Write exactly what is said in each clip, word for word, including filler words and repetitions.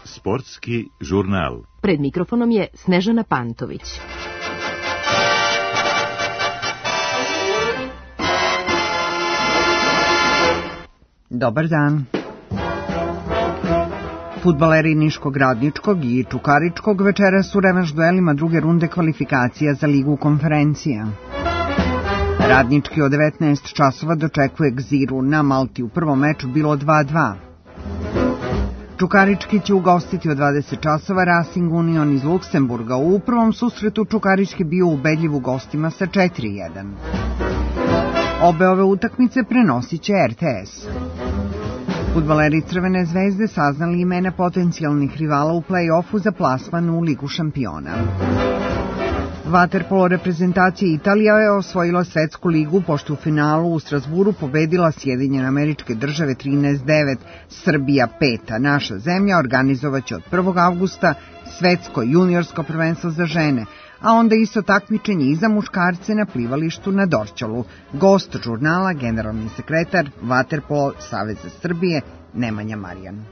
Sportski žurnal. Pred mikrofonom je Snežana Pantović. Dobar dan. Fudbaleri Niškog Radničkog i Čukaričkog večeras u revanš duelima druge runde kvalifikacija za Ligu konferencija. Radnički od devetnaest časova dočekuje Gziru, na Malti u prvom meču bilo dva dva. Čukarički će ugostiti od dvadeset časova Racing Union iz Luksemburga. U prvom susretu Čukarički bio ubedljiv u gostima sa četiri jedan. Obe ove utakmice prenosit će R T S. Fudbaleri Crvene zvezde saznali imena potencijalnih rivala u play-offu za plasman u Ligu šampiona. Vaterpolo reprezentacija Italija je osvojila svetsku ligu pošto u finalu u Strasburu pobedila Sjedinjene Američke Države trinaest devet, Srbija pet, a naša zemlja organizovaće od prvog avgusta svetsko juniorsko prvenstvo za žene, a onda isto takmičenje i za muškarce na plivalištu na Dorćolu. Gost žurnala, generalni sekretar Vaterpolo Saveza Srbije, Nemanja Marijan.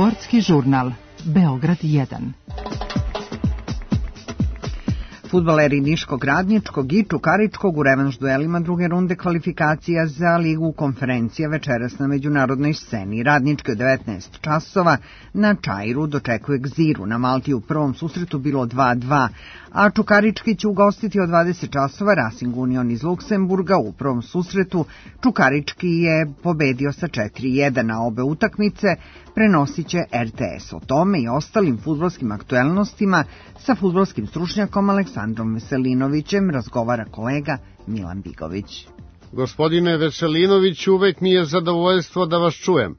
Sportski žurnal. Beograd jedan. Fudbaleri Niškog Radničkog i Čukaričkog u revanš duelima druge runde kvalifikacija za Ligu konferencija večeras na međunarodnoj sceni. Radnički od devetnaest časova na Čairu dočekuje Gziru, na Malti u prvom susretu bilo dva dva, a Čukarički će ugostiti od dvadeset časova Racing Union iz Luksemburga. U prvom susretu Čukarički je pobedio sa četiri jedan, a obe utakmice prenosit će R T S. O tome i ostalim fudbalskim aktuelnostima sa fudbalskim stručnjakom Aleksandrom Veselinovićem razgovara kolega Milan Bigović. Gospodine Veselinović, uvek mi je zadovoljstvo da vas čujem.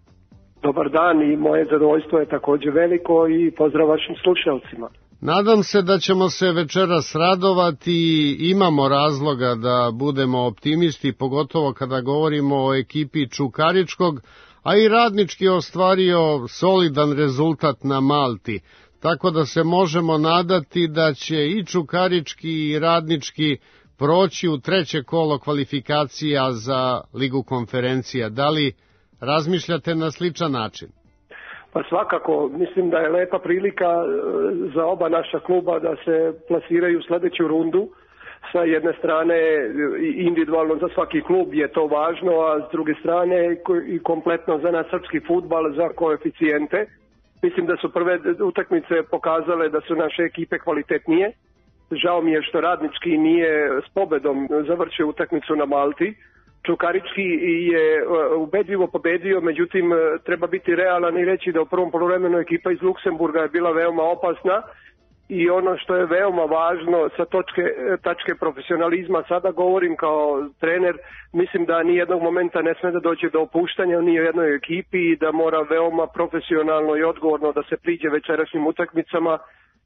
Dobar dan, i moje zadovoljstvo je također veliko i pozdrav vašim slušalcima. Nadam se da ćemo se večeras radovati i imamo razloga da budemo optimisti, pogotovo kada govorimo o ekipi Čukaričkog, a i Radnički je ostvario solidan rezultat na Malti, tako da se možemo nadati da će i Čukarički i Radnički proći u treće kolo kvalifikacija za Ligu konferencija. Da li razmišljate na sličan način? Pa svakako, mislim da je lepa prilika za oba naša kluba da se plasiraju u sljedeću rundu. Sa jedne strane individualno za svaki klub je to važno, a s druge strane i kompletno za naš srpski fudbal, za koeficijente. Mislim da su prve utakmice pokazale da su naše ekipe kvalitetnije. Žao mi je što Radnički nije s pobedom završio utakmicu na Malti. Čukarički je ubedljivo pobedio, međutim treba biti realan i reći da u prvom poluvremenu ekipa iz Luksemburga je bila veoma opasna i ono što je veoma važno sa točke, tačke profesionalizma, sada govorim kao trener, mislim da ni jednog momenta ne sme da dođe do opuštanja ni u jednoj ekipi i da mora veoma profesionalno i odgovorno da se priđe večerašnjim utakmicama,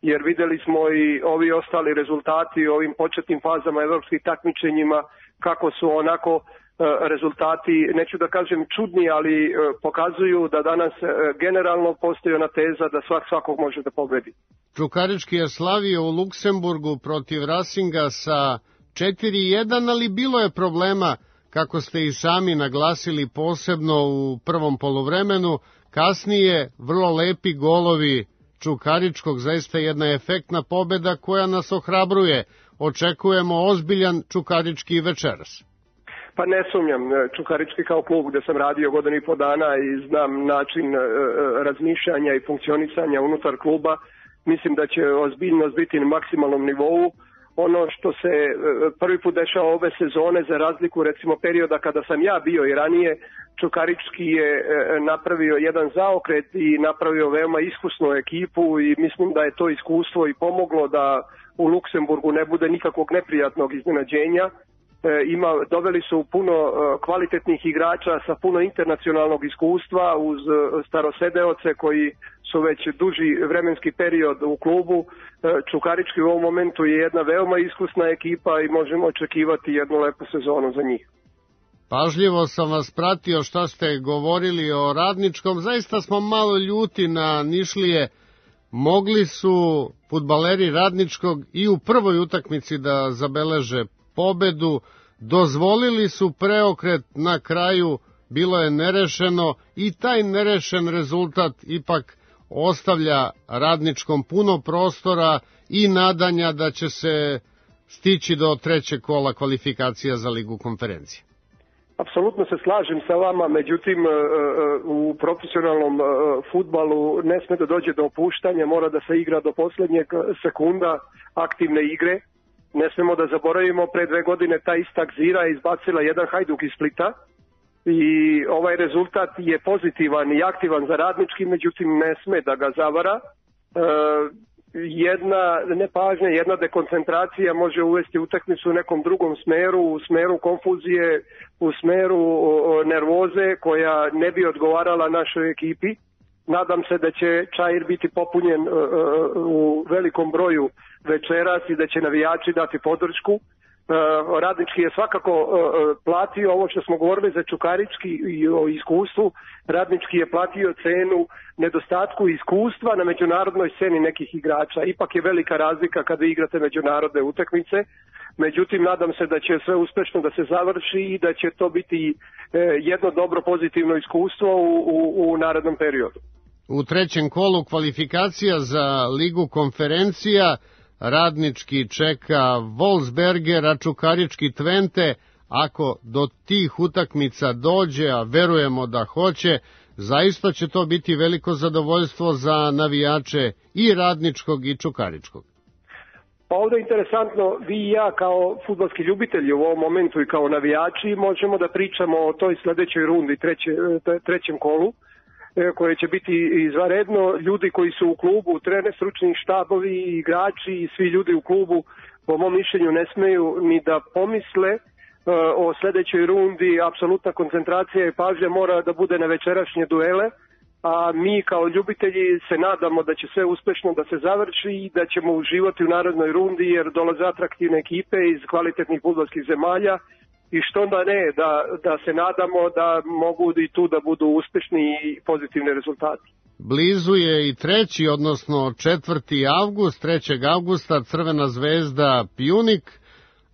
jer videli smo i ovi ostali rezultati u ovim početnim fazama evropskih takmičenjima kako su onako rezultati, neću da kažem čudni, ali pokazuju da danas generalno postoji ona teza da svak svakog može da pobedi. Čukarički je slavio u Luksemburgu protiv Rasinga sa četiri jedan, ali bilo je problema, kako ste i sami naglasili, posebno u prvom poluvremenu. Kasnije vrlo lepi golovi Čukaričkog, zaista jedna efektna pobeda koja nas ohrabruje. Očekujemo ozbiljan Čukarički večeras. Pa ne sumnjam, Čukarički kao klub gde sam radio godinu i po dana i znam način razmišljanja i funkcionisanja unutar kluba, mislim da će ozbiljnost biti na maksimalnom nivou. Ono što se prvi put dešava ove sezone, za razliku recimo perioda kada sam ja bio i ranije, Čukarički je napravio jedan zaokret i napravio veoma iskusnu ekipu i mislim da je to iskustvo i pomoglo da u Luksemburgu ne bude nikakvog neprijatnog iznenađenja. Ima, doveli su puno kvalitetnih igrača sa puno internacionalnog iskustva uz starosedeoce koji su već duži vremenski period u klubu. Čukarički u ovom momentu je jedna veoma iskusna ekipa i možemo očekivati jednu lepu sezonu za njih. Pažljivo sam vas pratio šta ste govorili o Radničkom. Zaista smo malo ljuti na Nišlije. Mogli su fudbaleri Radničkog i u prvoj utakmici da zabeleže pobedu, dozvolili su preokret na kraju, bilo je nerešeno i taj nerešen rezultat ipak ostavlja Radničkom puno prostora i nadanja da će se stići do trećeg kola kvalifikacija za Ligu konferencije. Apsolutno se slažem sa vama, međutim u profesionalnom fudbalu ne sme da dođe do opuštanja, mora da se igra do poslednjeg sekunda aktivne igre. Ne smemo da zaboravimo, pre dve godine ta ista Gzira je izbacila jedan Hajduk iz Splita i ovaj rezultat je pozitivan i aktivan za Radnički, međutim ne sme da ga zavara. E, jedna nepažnja, jedna dekoncentracija može uvesti utakmicu u nekom drugom smeru, u smeru konfuzije, u smeru nervoze koja ne bi odgovarala našoj ekipi. Nadam se da će Čair biti popunjen uh, u velikom broju večeras i da će navijači dati podršku. Uh, Radnički je svakako uh, platio ovo što smo govorili za Čukarički i o iskustvu. Radnički je platio cenu nedostatku iskustva na međunarodnoj sceni nekih igrača. Ipak je velika razlika kada igrate međunarodne utakmice. Međutim, nadam se da će sve uspešno da se završi i da će to biti uh, jedno dobro pozitivno iskustvo u, u, u narednom periodu. U trećem kolu kvalifikacija za Ligu konferencija Radnički čeka Wolfsberger, a Čukarički Twente. Ako do tih utakmica dođe, a verujemo da hoće, zaista će to biti veliko zadovoljstvo za navijače i Radničkog i Čukaričkog. Pa ovdje je interesantno, vi i ja kao fudbalski ljubitelji u ovom momentu i kao navijači možemo da pričamo o toj sledećoj rundi, treće, trećem kolu, koje će biti izvanredno. Ljudi koji su u klubu, trener, stručni štabovi, igrači i svi ljudi u klubu, po mom mišljenju, ne smeju ni da pomisle o sledećoj rundi. Apsolutna koncentracija i pažnja mora da bude na večerašnje duele, a mi kao ljubitelji se nadamo da će sve uspešno da se završi i da ćemo uživati u narodnoj rundi, jer dolaze atraktivne ekipe iz kvalitetnih fudbalskih zemalja. I što onda ne, da, da se nadamo da mogu i tu da budu uspešni i pozitivni rezultati. Blizu je i treći, odnosno četvrti avgust, trećeg avgusta Crvena zvezda Pjunik,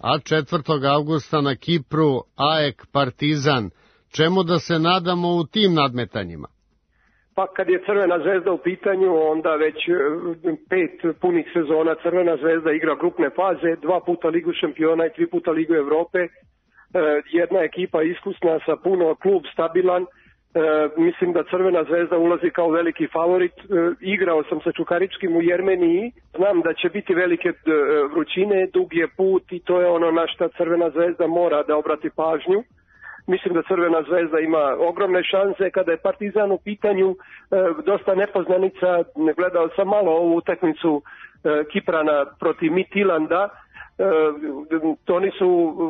a četvrtog avgusta na Kipru A E K Partizan. Čemu da se nadamo u tim nadmetanjima? Pa kad je Crvena zvezda u pitanju, onda već pet punih sezona Crvena zvezda igra grupne faze, dva puta Ligu šampiona i tri puta Ligu Evrope. Jedna ekipa iskusna sa puno, klub stabilan. E, mislim da Crvena zvezda ulazi kao veliki favorit. E, igrao sam sa Čukaričkim u Jermeniji. Znam da će biti velike vrućine, dug je put i to je ono na što Crvena zvezda mora da obrati pažnju. Mislim da Crvena zvezda ima ogromne šanse. Kada je Partizan u pitanju, e, dosta nepoznanica, gledao sam malo ovu utakmicu e, Kiprana protiv Midtjylanda. E, oni su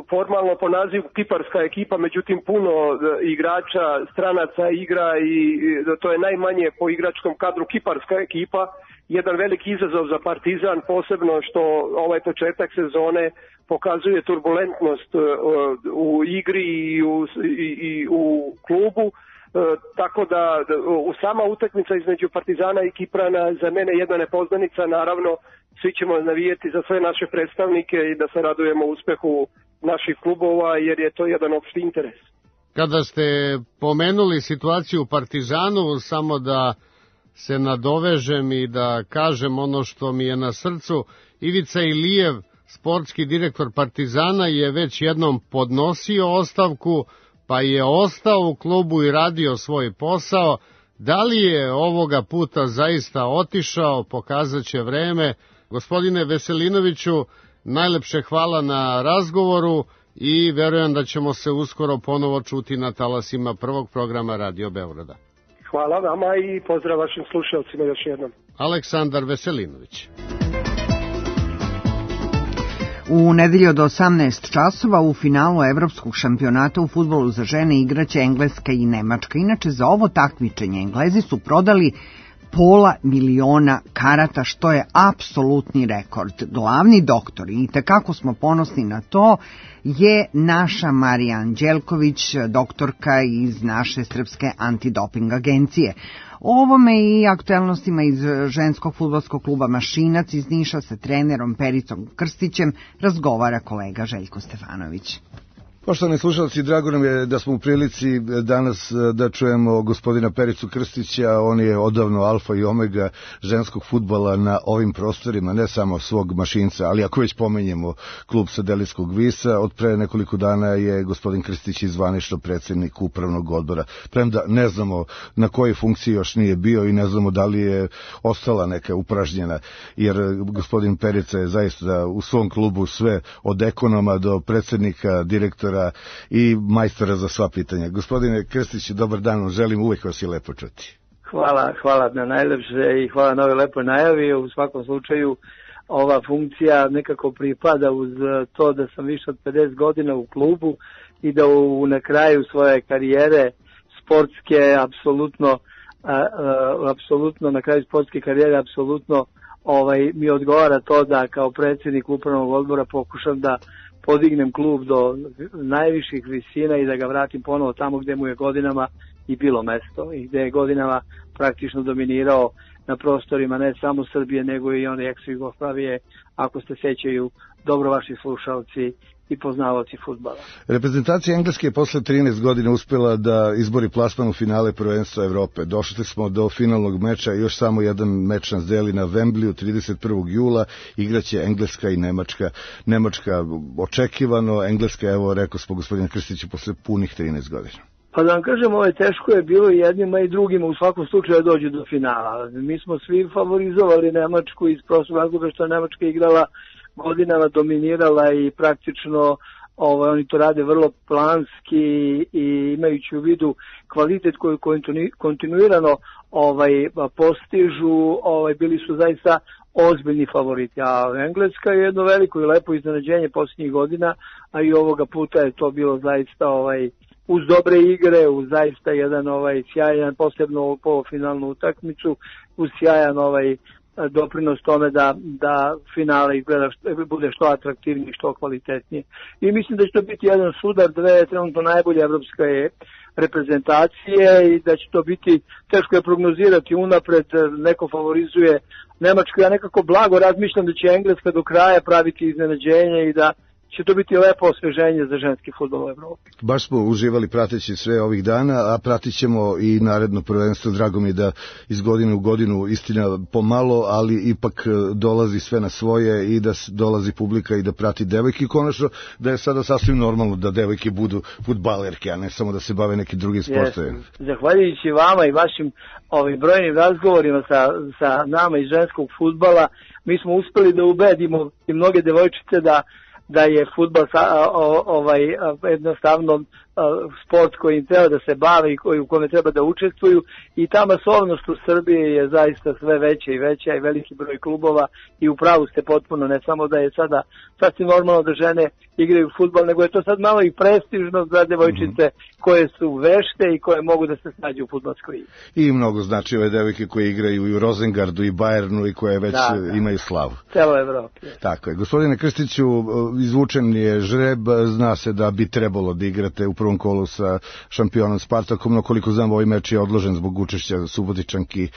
formalno po nazivu kiparska ekipa, međutim puno igrača stranaca igra i to je najmanje po igračkom kadru kiparska ekipa. Jedan veliki izazov za Partizan, posebno što ovaj početak sezone pokazuje turbulentnost u igri i u, i, i u klubu. tako da u sama utakmica između Partizana i Kiprana za mene jedna nepoznanica, naravno svi ćemo navijeti za sve naše predstavnike i da se radujemo uspehu naših klubova jer je to jedan opšti interes. Kada ste pomenuli situaciju u Partizanu, samo da se nadovežem i da kažem ono što mi je na srcu, Ivica Ilijev, sportski direktor Partizana, je već jednom podnosio ostavku, pa je ostao u klubu i radio svoj posao. Da li je ovoga puta zaista otišao, pokazat će vreme. Gospodine Veselinoviću, najlepše hvala na razgovoru i verujem da ćemo se uskoro ponovo čuti na talasima prvog programa Radio Beograda. Hvala vama i pozdrav vašim slušalcima još jednom. Aleksandar Veselinović. U nedelju od osamnaest časova u finalu evropskog šampionata u fudbalu za žene igraće Engleska i Nemačka. Inače, za ovo takmičenje Englezi su prodali pola miliona karata, što je apsolutni rekord. Glavni doktor, i tekako smo ponosni na to, je naša Marija Anđelković, doktorka iz naše srpske antidoping agencije. O ovome i aktuelnostima iz ženskog fudbalskog kluba Mašinac iz Niša sa trenerom Pericom Krstićem razgovara kolega Željko Stefanović. Poštovani slušalci, drago nam je da smo u prilici danas da čujemo gospodina Pericu Krstića. On je odavno alfa i omega ženskog fudbala na ovim prostorima, ne samo svog Mašinca, ali ako već pomenjemo klub sa Deliskog Visa, od pre nekoliko dana je gospodin Krstić zvanično predsjednik upravnog odbora. Premda ne znamo na kojoj funkciji još nije bio i ne znamo da li je ostala neka upražnjena, jer gospodin Perica je zaista u svom klubu sve od ekonoma do predsjednika, direktora i majstora za sva pitanja. Gospodine Krstiću, dobar dan, želim, uvijek vas je lepo čuti. Hvala, hvala na najlepše i hvala na ovoj lepoj najavi. U svakom slučaju ova funkcija nekako pripada uz to da sam više od pedeset godina u klubu i da u, na kraju svoje karijere sportske apsolutno apsolutno na kraju sportske karijere apsolutno ovaj mi odgovara to da kao predsjednik upravnog odbora pokušam da podignem klub do najviših visina i da ga vratim ponovo tamo gdje mu je godinama i bilo mesto i gdje je godinama praktično dominirao na prostorima ne samo Srbije nego i one ex-Jugoslavije, ako se sećaju dobro vaši slušalci i poznavaoci fudbala. Reprezentacija Engleske je posle trinaest godina uspjela da izbori plasman u finale prvenstva Evrope. Došli smo do finalnog meča, još samo jedan meč nas deli na Wembleyu trideset prvog jula. Igraće Engleska i Nemačka. Nemačka očekivano, Engleska, evo rekao smo gospodine Krstiću, posle punih trinaest godina. Pa da vam kažem, ovo je teško je bilo i jednima i drugima u svakom slučaju dođu do finala. Mi smo svi favorizovali Nemačku iz prostog razloga što je Nemačka igrala godinama, dominirala i praktično ovaj, oni to rade vrlo planski i imajući u vidu kvalitet koju kontinuirano ovaj, postižu, ovaj, bili su zaista ozbiljni favoriti. A Engleska je jedno veliko i lepo iznenađenje posljednjih godina, a i ovoga puta je to bilo zaista ovaj, uz dobre igre, uz zaista jedan ovaj sjajan, posebno polufinalnu utakmicu, uz sjajan ovaj doprinos tome da, da finale izgleda što, bude što atraktivniji, što kvalitetnije. I mislim da će to biti jedan sudar dve trenutno najbolje evropske reprezentacije i da će to biti, teško je prognozirati unapred, neko favorizuje Nemačku. Ja nekako blago razmišljam da će Engleska do kraja praviti iznenađenje i da će to biti lepo osveženje za ženski fudbal u Evropi. Baš smo uživali prateći sve ovih dana, a pratit ćemo i naredno prvenstvo. Drago mi je da iz godine u godinu, istina pomalo, ali ipak dolazi sve na svoje i da dolazi publika i da prati devojke. I konačno da je sada sasvim normalno da devojke budu fudbalerke, a ne samo da se bave neki drugi sportovi. Zahvaljujući vama i vašim ovim brojnim razgovorima sa, sa nama iz ženskog fudbala, mi smo uspeli da ubedimo i mnoge devojčice da da je fudbal ovaj, jednostavno sport kojim treba da se bave i koji, u kome treba da učestvuju i ta masovnost u Srbiji je zaista sve veća i veća i veliki broj klubova i u pravu ste potpuno, ne samo da je sada sasvim normalno da žene igraju fudbal, nego je to sad malo i prestižno za devojčice koje su vešte i koje mogu da se snađu u fudbalskoj igri. I mnogo znači ove devojke koje igraju i u Rosengardu i Bayernu i koje već da, da. imaju slavu. Celo Evropi. Tako je. Gospodine Krstiću, izvučen je žreb, zna se da bi trebalo da igrate u prvom prvom kolu sa šampionom Spartakom, no koliko znam ovaj meč je odložen zbog učešća Subotičanki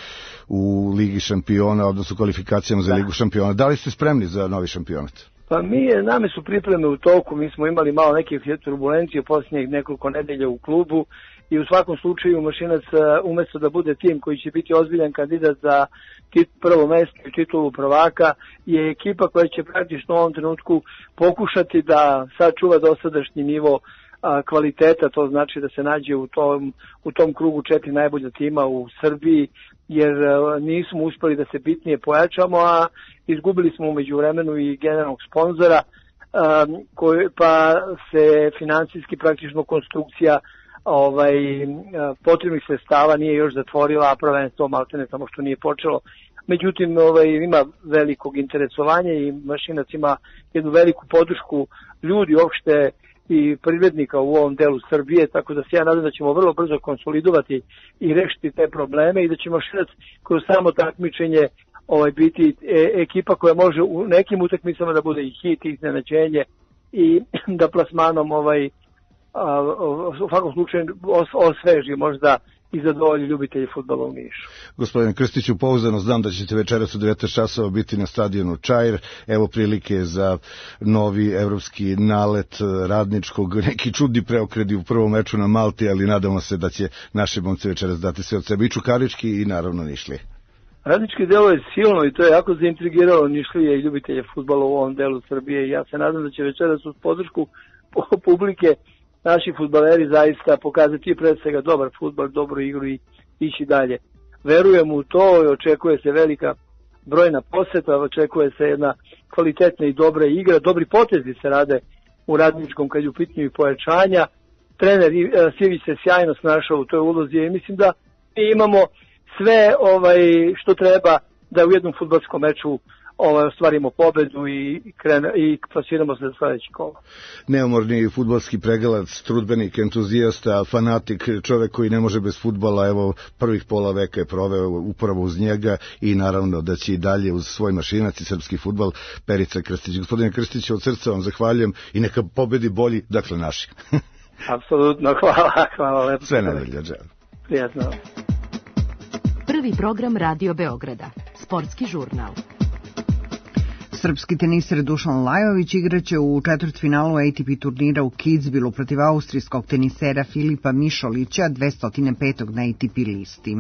u Ligi šampiona, odnosno kvalifikacijama za Ligu šampiona. Da li ste spremni za novi šampionat? Pa mi, name su pripreme u toku, mi smo imali malo neke turbulencije posljednjih nekoliko nedelja u klubu i u svakom slučaju Mašinac umesto da bude tim koji će biti ozbiljan kandidat za tit, prvo mesto i titulu prvaka je ekipa koja će praktično u ovom trenutku pokušati da sačuva dosadašnji nivo a, kvaliteta, to znači da se nađe u tom, u tom krugu četiri najbolja tima u Srbiji, jer a, nismo uspeli da se bitnije pojačamo, a izgubili smo umeđu vremenu i generalnog sponzora, a, koji, pa se financijski praktično konstrukcija ovaj potrebnih sredstava nije još zatvorila, a prvenstvo maltene samo što nije počelo. Međutim, ovaj ima velikog interesovanja i Mašinac ima jednu veliku podršku ljudi uopšte i privrednika u ovom delu Srbije, tako da se ja nadam da ćemo vrlo brzo konsolidovati i rešiti te probleme i da će Mašinac kroz samo takmičenje ovaj biti e, ekipa koja može u nekim utakmicama da bude i hit i iznenađenje i da plasmanom ovaj A, u svakom slučaju osveži možda i zadovolji ljubitelji fudbala u Nišu. Gospodine Krstiću, pouzdano znam da ćete večeras u devetnaest časova biti na stadionu Čair. Evo prilike za novi evropski nalet Radničkog, neki čudni preokredi u prvom meču na Malti, ali nadamo se da će naše momci večeras dati sve od sebe, i Čukarički i naravno Nišlije. Radnički delo je silno i to je jako zaintrigiralo Nišlije i ljubitelje fudbala u ovom delu Srbije i ja se nadam da će večeras uz podršku publike naši fudbaleri zaista pokazati pre svega dobar fudbal, dobru igru i ići dalje. Verujem u to i očekuje se velika brojna poseta, očekuje se jedna kvalitetna i dobra igra, dobri potezi se rade u Radničkom kad je u pitanju i pojačanja. Trener Sivić se sjajno snašao u toj ulozi i mislim da mi imamo sve ovaj što treba da u jednom fudbalskom meču Ovaj, ostvarimo pobedu i, krene, i plasiramo se za sledeći kolo. Neumorni fudbalski pregalac, trudbenik, entuzijasta, fanatik, čovek koji ne može bez fudbala, evo prvih pola veka je proveo upravo uz njega i naravno da će i dalje uz svoj Mašinac i srpski fudbal Perica Krstić. Gospodine Krstić, od srca vam zahvaljujem i neka pobedi bolji, dakle naši. Apsolutno, hvala, hvala lepo. Sve najbolje, želim. Prijatno. Prvi program Radio Beograda, sportski žurnal. Srpski teniser Dušan Lajović igraće u četvrtfinalu A T P turnira u Kitzbühelu protiv austrijskog tenisera Filipa Mišolića, dvesta petog na A T P listi.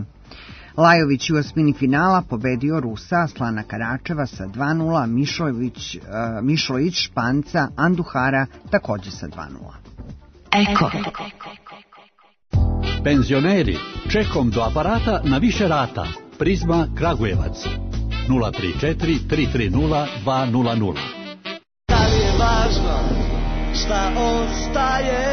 Lajović u osmini finala pobedio Rusa Aslana Karačeva sa dva nula, Mišović, uh, Mišović Španca Anduhara takođe sa dva nula. Eko. Penzioneri, čekom do aparata na više rata. Prizma Kragujevac. nula tri četiri tri tri nula dva nula nula. Da li je važno šta ostaje?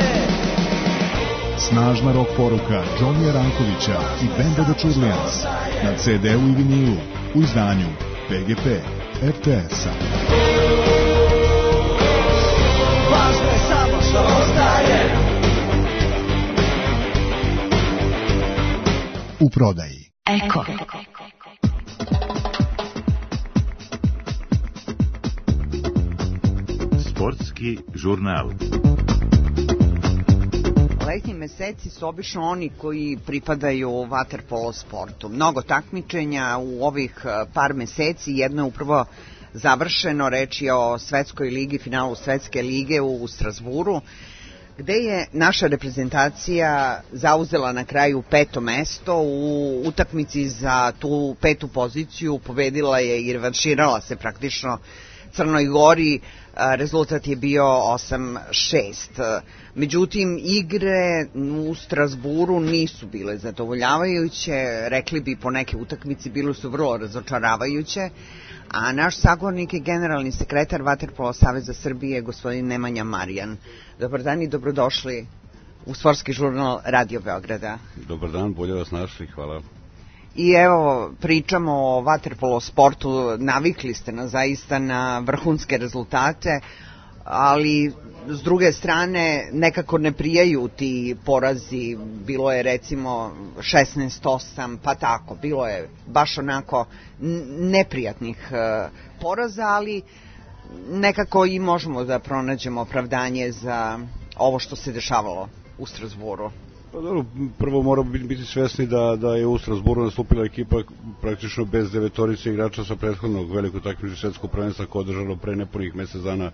Snažna rock poruka Johnnyja Rankovića i benda The Churlians na ce de u i vinilu u izdanju P G P R T S-a. Važno je samo što ostaje. U prodaji. Eko. Sportski žurnal. Letnji meseci su obično oni koji pripadaju vaterpolo sportu. Mnogo takmičenja u ovih par meseci, jedno je upravo završeno, reč je o Svetskoj ligi, finalu Svetske lige u Strasburu, gde je naša reprezentacija zauzela na kraju peto mesto. U utakmici za tu petu poziciju pobedila je i revanširala se praktično Crnoj Gori, rezultat je bio osam šest. Međutim, igre u Strasburu nisu bile zadovoljavajuće, rekli bi po neke utakmici bile su vrlo razočaravajuće, a naš sagovornik je generalni sekretar Vaterpolo Saveza Srbije, gospodin Nemanja Marijan. Dobar dan i dobrodošli u sportski žurnal Radio Beograda. Dobar dan, bolje vas našli, hvala. I evo, pričamo o vaterpolo sportu, navikli ste nas zaista na vrhunske rezultate, ali s druge strane nekako ne prijaju ti porazi, bilo je recimo šesnaest osam, pa tako, bilo je baš onako neprijatnih poraza, ali nekako i možemo da pronađemo opravdanje za ovo što se dešavalo u Strasbourgu? Pa dobro, prvo moramo biti svesni da, da je u Strasbourgu nastupila ekipa praktično bez devetorice igrača sa prethodnog velikog takmičenja svetskog prvenstva koje je održano pre nepunih mesec dana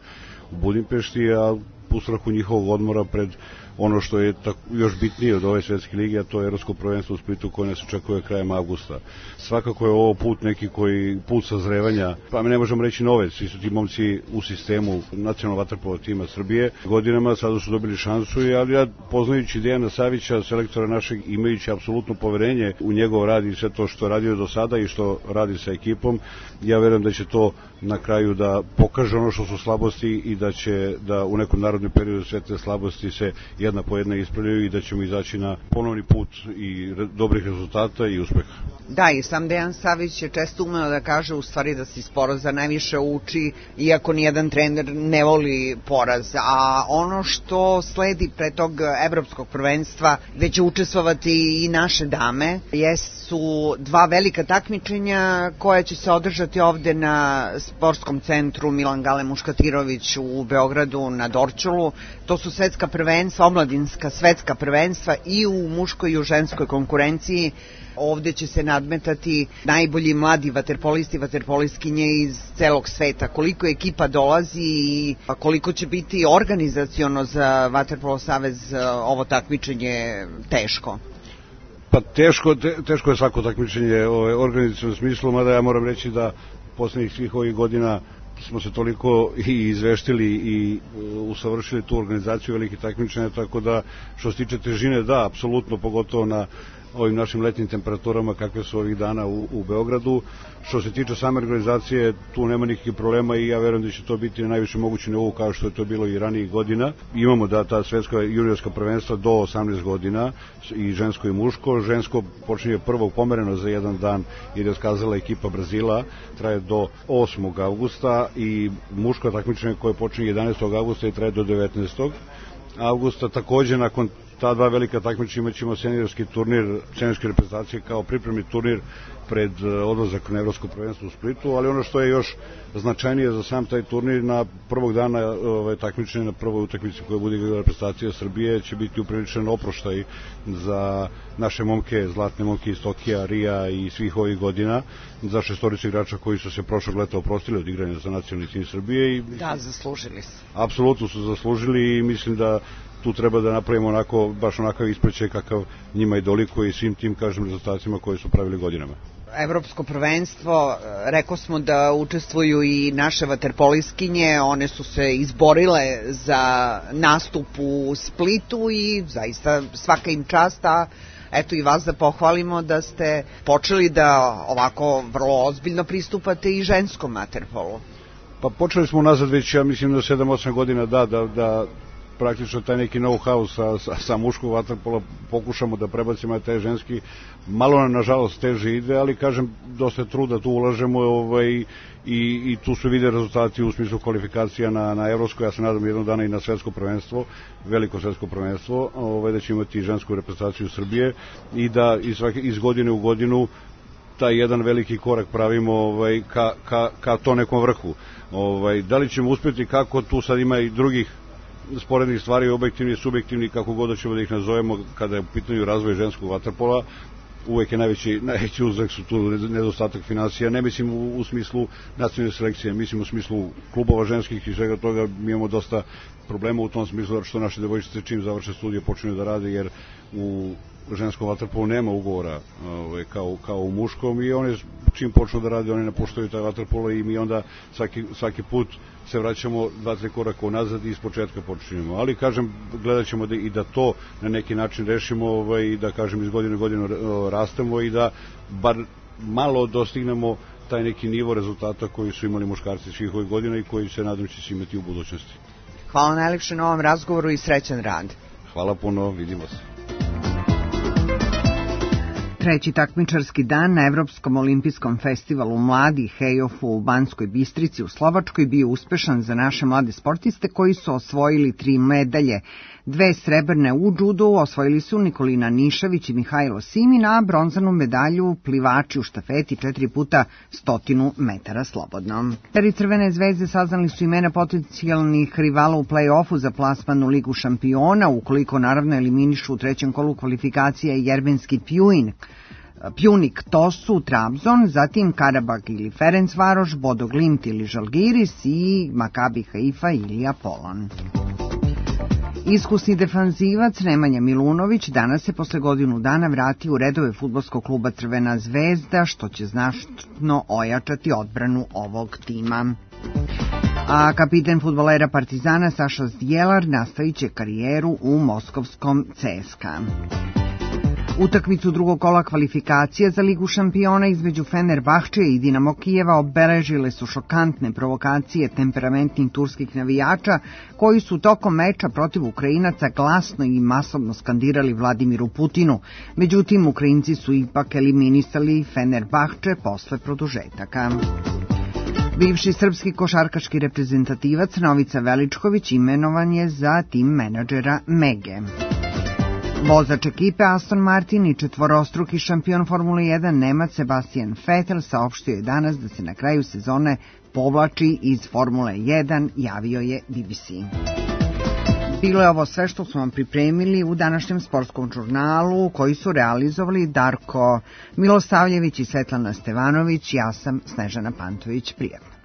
u Budimpešti, a u strahu njihovog odmora pred ono što je tako, još bitnije od ove svetske lige, a to je evropsko prvenstvo u Splitu koje nas očekuje krajem avgusta. Svakako je ovo put neki koji, put sazrevanja, pa mi ne možemo reći nove, svi su ti momci u sistemu nacionalnog vaterpola tima Srbije. Godinama sada su dobili šansu, ali ja poznajući Dejana Savića, selektora našeg, imajući apsolutno poverenje u njegov rad i sve to što je radio do sada i što radi sa ekipom, ja verujem da će to na kraju da pokaže ono što su slabosti i da će da u nekom narodnom periodu sve te slabosti se jedna po jedna ispravljaju i da ćemo izaći na ponovni put i dobrih rezultata i uspeha. Da, i sam Dejan Savić je često umeo da kaže u stvari da se iz poraza najviše uči, iako nijedan trener ne voli poraz. A ono što sledi pre tog evropskog prvenstva, gde će učestvovati i naše dame, jesu dva velika takmičenja koja će se održati ovde na sportskom centru Milan Gale Muškatirović u Beogradu na Dorćolu. To su svetska prvenstva, omladinska svetska prvenstva i u muškoj i u ženskoj konkurenciji. Ovde će se nadmetati najbolji mladi vaterpolisti i vaterpolistkinje iz celog sveta. Koliko ekipa dolazi i koliko će biti organizaciono za Vaterpolo savez ovo takmičenje teško? Pa teško, te, teško je svako takmičenje ove, organizaciono smislu, mada ja moram reći da poslednjih svih ovih godina smo se toliko i izveštili i usavršili tu organizaciju velikih takmičenja, tako da što se tiče težine, da, apsolutno, pogotovo na ovim našim letnjim temperaturama kakve su ovih dana u, u Beogradu. Što se tiče same organizacije, tu nema nikakvih problema i ja verujem da će to biti na najviše mogući nivou kao što je to bilo i ranijih godina. Imamo da ta svetska juniorska prvenstva do osamnaest godina i žensko i muško. Žensko počinje prvo pomereno za jedan dan jer je otkazala ekipa Brazila, traje do osmog avgusta i muško takmičenje koje počinje jedanaestog avgusta i traje do devetnaestog avgusta. Takođe nakon ta dva velika takmičenja imat ćemo seniorski turnir, seniorske reprezentacije kao pripremni turnir pred odlazak na evropsko prvenstvo u Splitu, ali ono što je još značajnije za sam taj turnir, na prvog dana ove, takmičenja, na prvoj utakmici koja bude igrala reprezentacija Srbije, će biti upriličen oproštaj za naše momke, zlatne momke iz Tokija, Rija i svih ovih godina, za šestoricu igrača koji su se prošlog leta oprostili od igranja za nacionalni tim Srbije. I, da, zaslužili su. Apsolutno su zaslužili i mislim da tu treba da napravimo onako, baš onakav ispraćaj kakav njima i dolikuje i svim tim, kažem, rezultatima koje su pravili godinama. Evropsko prvenstvo, rekao smo da učestvuju i naše vaterpoliskinje, one su se izborile za nastup u Splitu i zaista svaka im čast, a eto i vas da pohvalimo da ste počeli da ovako vrlo ozbiljno pristupate i ženskom vaterpolu. Pa počeli smo nazad već, ja mislim, da sedam osam godina da, da, da praktično taj neki know-how sa, sa, sa muškog vaterpola pokušamo da prebacimo na taj ženski. Malo nam, nažalost, teže ide, ali kažem, dosta truda tu ulažemo ovaj, i, i tu su vide rezultati u smislu kvalifikacija na, na evropsko, ja se nadam jednog dana i na svetsko prvenstvo, veliko svetsko prvenstvo, ovaj, da će imati žensku reprezentaciju Srbije i da iz, iz godine u godinu taj jedan veliki korak pravimo ovaj, ka, ka, ka to nekom vrhu. Ovaj, da li ćemo uspjeti, kako, tu sad ima i drugih sporednih stvari, objektivni i subjektivni, kako god da ćemo da ih nazovemo, kada je u pitanju razvoj ženskog vaterpola. Uvek je najveći, najveći uzrok su tu nedostatak finansija, ne mislim u, u smislu nacionalne selekcije, mislim u smislu klubova ženskih i svega toga. Mi imamo dosta problema u tom smislu, što naše devojčice čim završe studije počinju da rade, jer u ženskom vaterpolu nema ugovora ovaj, kao, kao u muškom, i one čim počnu da rade, one napuštaju taj vaterpolo i mi onda svaki, svaki put se vraćamo dva, tri koraka unazad i iz početka počinjemo. Ali, kažem, gledat ćemo da, i da to na neki način rešimo, ovaj, da, kažem, iz godine u godinu rastemo i da bar malo dostignemo taj neki nivo rezultata koji su imali muškarci svih ovih godina i koji se nadam će se imati u budućnosti. Hvala najlepše na ovom razgovoru i srećan rad. Hvala puno, vidimo se. Treći takmičarski dan na Evropskom olimpijskom festivalu mladih E O F-u u Banskoj Bistrici u Slovačkoj bio uspešan za naše mlade sportiste koji su osvojili tri medalje. Dve srebrne u džudu osvojili su Nikolina Nišavić i Mihajlo Simin, a bronzanu medalju plivači u štafeti četiri puta stotinu metara slobodno. Peri Crvene zvezde saznali su imena potencijalnih rivala u play-offu za plasman u Ligu šampiona, ukoliko naravno eliminišu u trećem kolu kvalifikacije Jermenski Pjuin. Pjunik, to su Trabzon, zatim Karabag ili Ferencvaroš, Bodo Glimt ili Žalgiris i Makabi Haifa ili Apolon. Iskusni defanzivac Nemanja Milunović danas se posle godinu dana vrati u redove fudbalskog kluba Crvena zvezda, što će znatno ojačati odbranu ovog tima. A kapiten fudbalera Partizana Saša Zdjelar nastavit će karijeru u moskovskom C S K A. Utakmicu drugog kola kvalifikacija za Ligu šampiona između Fenerbahčeja i Dinamo Kijeva obeležile su šokantne provokacije temperamentnih turskih navijača koji su tokom meča protiv Ukrajinaca glasno i masovno skandirali Vladimiru Putinu. Međutim, Ukrajinci su ipak eliminisali Fenerbahče posle produžetaka. Bivši srpski košarkaški reprezentativac Novica Veličković imenovan je za tim menadžera Mege. Vozač ekipe Aston Martin i četvorostruki šampion Formule jedan Nemac Sebastian Vettel saopštio je danas da se na kraju sezone povlači iz Formule jedan, javio je B B C. Bilo je ovo sve što smo vam pripremili u današnjem sportskom žurnalu koji su realizovali Darko Milosavljević i Svetlana Stevanović. Ja sam Snežana Pantović. Prijatno.